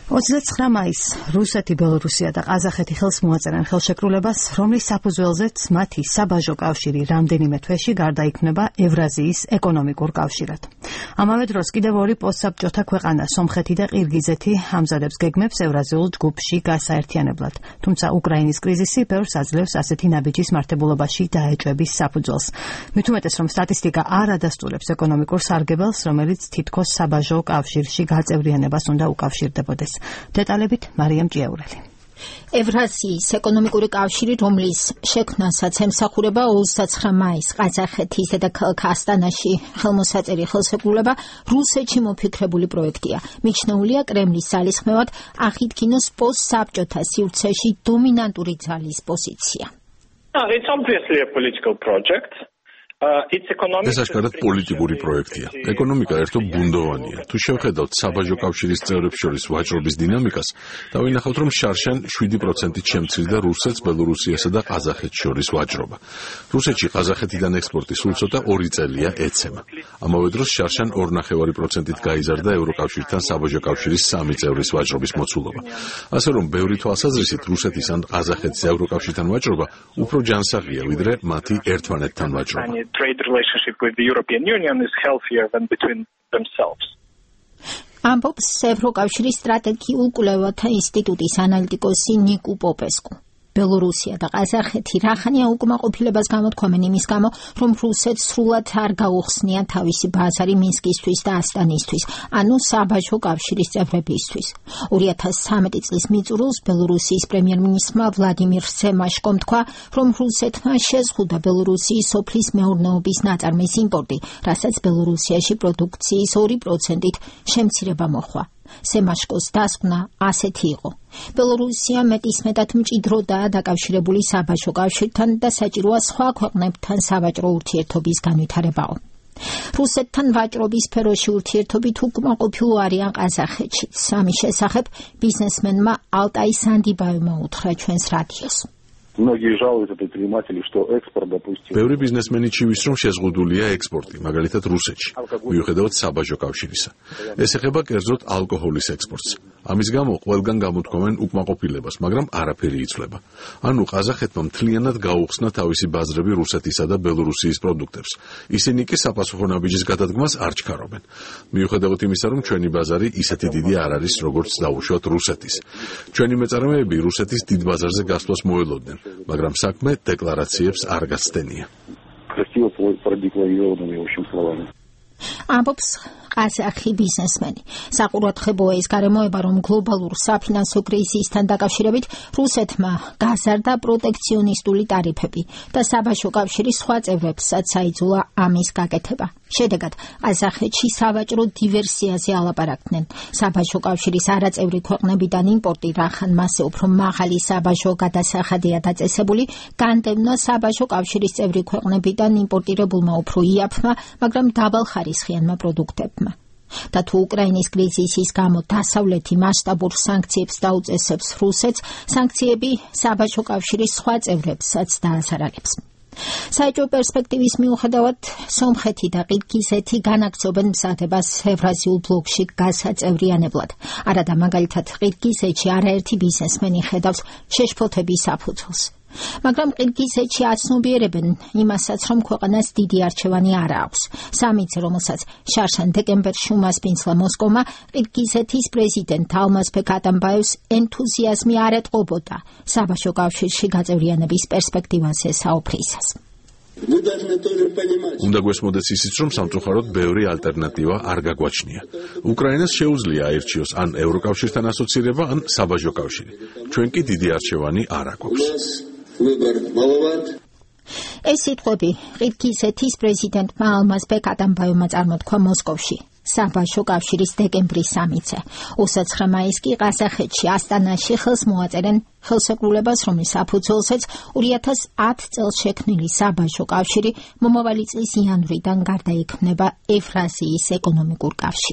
29 მაისს რუსეთი, ბელორუსია და ყაზახეთი ხელს მოაწერენ ხელშეკრულებას, რომლის საფუძველზეც მათი საბაჟო კავშირი რამდენიმე თვეში გარდაიქმნება ევრაზიის ეკონომიკურ კავშირად. ამავე დროს კიდევ ორი პოსტსაბჭოთა ქვეყანა, სომხეთი და ყირგიზეთი, ამზადებს გეგმებს ევრაზიულ ჯგუფში გასაერთიანებლად. თუმცა უკრაინის კრიზისი ბევრს აძლევს ასეთი ნაბიჯის მართებულობაში დაეჭვების საფუძველს. მით უმეტეს, რომ სტატისტიკა არ ადასტურებს ეკონომიკურ სარგებელს, რომელიც თითქოს საბაჟო კავშირში გაწევრიანებას უნდა უკავშირდებოდეს. დეტალებით მარიამ ჭიაურელი. ევრაზიის ეკონომიკური კავშირი, რომლის შექმნასაც ემსახურება 29 მაისს ყაზახეთის დედაქალაქ ასტანაში ხელმოსაწერი ხელშეკრულება, რუსეთში მოფიქრებული პროექტია. მიჩნეულია კრემლის ძალისხმევად აღიდგინოს პოსტსაბჭოთა სივრცეში დომინანტური ძალის პოზიცია. It's obviously a political project. ეს აშკარად პოლიტიკური პროექტია. ეკონომიკა ერთო ბუნდოვანია. თუ შევხედავთ საბაჟო კავშირის წევრებს შორის ვაჭრობის დინამიკას, დავინახავთ, რომ შარშან 7%-ით შემცირდა რუსეთს, ბელორუსიასა და ყაზახეთს შორის ვაჭრობა. რუსეთში ყაზახეთიდან ექსპორტი სულ ცოტა 2 წელია ეცემა. ამავე დროს შარშან 2.5%-ით გაიზარდა ევროკავშირთან საბაჟო კავშირის 3 წევრის ვაჭრობის მოცულობა. ასე რომ, ბევრი თვალსაზრისით რუსეთის ან ყაზახეთის ევროკავშირთან ვაჭრობა უფრო ჯანსაღია, ვიდრე მათი ერთმანეთთან ვაჭრობა. Trade relationship with the European Union is healthier than between themselves. ამბობს ევროკავშირის სტრატეგიულ კვლევათა ინსტიტუტის ანალიტიკოსი ნიკუ პოპესკუ. ბელორუსია და ყაზახეთი რახანია უკმაყოფილებას გამოთქვამენ იმის გამო, რომ რუსეთს სრულად არ გაუხსნია თავისი ბაზარი მინსკისთვის და ასტანისთვის, ანუ საბაჟო კავშირის წევრებისთვის. 2013 წლის მიწურულს ბელორუსიის პრემიერ-მინისტრმა ვლადიმირ სემაშკომ თქვა, რომ რუსეთმა შეზღუდა ბელორუსიის სოფლის მეურნეობის ნაწარმის იმპორტი, რასაც ბელორუსიაში პროდუქციის 2%-ით შემცირება მოჰყვა. სემაშკოს დასკვნა ასეთი იყო. ბელორუსია მეტისმეტად მჭიდროდაა დაკავშირებული საბაჟო კავშირთან და საჭიროა სხვა ქვეყნებთან სავაჭრო ურთიერთობის განვითარებაო. რუსეთთან ვაჭრობის სფეროში ურთიერთობით უკმაყოფილო არიან ყაზახეთშიც. ამის შესახებ ბიზნესმენმა ალტაი სანდიბაევმა უთხრა ჩვენს რადიოს. Многие жалуются предприниматели, что экспорт, допустим. Ბევრი ბიზნესმენი ჩივის, რომ შეზღუდულია ექსპორტი, მაგალითად რუსეთში, მიუხედავად საბაჟო კავშირისა. ეს ეხება კერძოდ ალკოჰოლის ექსპორტს. ამის გამო ყველგან გამოთქვამენ უკმაყოფილებას, მაგრამ არაფერი იცვლება. ანუ ყაზახეთმა მთლიანად გაუხსნა თავისი ბაზრები რუსეთისა და ბელორუსიის პროდუქტებს. ისინი კი საპასუხო ნაბიჯის გადადგმას არ ჩქარობენ. მიუხედავად იმისა, რომ ჩვენი ბაზარი ისეთი დიდი არ არის, როგორც დაუშვათ რუსეთის. ჩვენი მეწარმეები რუსეთის დიდ ბაზარზე გასვლას მოელოდნენ. მაგრამ საქმე დეკლარაციებს არ გაცდენია. Красиво продекларированными, в общем, словами. ამბობს ყაზახი ბიზნესმენი. საყურადღებოა ის გარემოება, რომ გლობალურ საფინანსო კრიზისთან დაკავშირებით რუსეთმა გაზარდა პროტექციონისტული ტარიფები და საბაჟო კავშირის სხვა წევრებსაც აიძულა ამის გაკეთება. შედეგად, ყაზახეთში სავაჭრო დივერსიაზე ალაპარაკდნენ. საბაჟო კავშირის არაწევრი ქვეყნებიდან იმპორტი, რახან მასზე უფრო მაღალი საბაჟო გადასახადია დაწესებული, განდევნა საბაჟო კავშირის წევრი ქვეყნებიდან იმპორტირებულმა უფრო იაფმა, მაგრამ დაბალხარისხიანმა პროდუქტებმა. და თუ უკრაინის კრიზისის გამო დასავლეთი მასშტაბურ სანქციებს დაუწესებს რუსეთს, სანქციები საბაჟო კავშირის სხვა წევრებსაც დაასარალებს. საეჭვო პერსპექტივის მიუხედავად, სომხეთი და ყირგიზეთი განაგრძობენ მზადებას ევრაზიულ ბლოკში გასაწევრიანებლად. არადა მაგალითად ყირგიზეთში არაერთი ბიზნესმენი ხედავს შეშფოთების საფუძველს. მაგრამ ყირგიზეთში აცნობიერებენ იმასაც, რომ ქვეყანას დიდი არჩევანი არ აქვს. სამიტზე, რომელსაც შარშან დეკემბერში უმასპინძლა მოსკოვმა, ყირგიზეთის პრეზიდენტ ალმაზბეკ ატამბაევს ენთუზიაზმი არ ეტყობოდა საბაჟო კავშირში გაწევრიანების პერსპექტივაზე საუფლისას. უნდა გვესმოდეს ისიც, რომ სამწუხაროდ ბევრი ალტერნატივა არ გაგვაჩნია. უკრაინას შეუძლია აირჩიოს ან ევროკავშირთან ასოცირება, ან საბაჟო კავშირი. ჩვენ კი დიდი არჩევანი არ აგვაქვს. ეს სიტყვები ყირგიზეთის პრეზიდენტმა ალმაზბეკ ატამბაევმა წარმოთქვა მოსკოვში. საბაჟო კავშირის დეკემბრის სამიტზე. 29 მაისს კი ყაზახეთში ასტანაში ხელს მოაწერენ ხელშეკრულებას, რომლის საფუძველზეც 2010 წელს შექმნილი საბაჟო კავშირი მომავალი წლის იანვრიდან გარდაიქმნება ევრაზიის ეკონომიკურ კავშირად.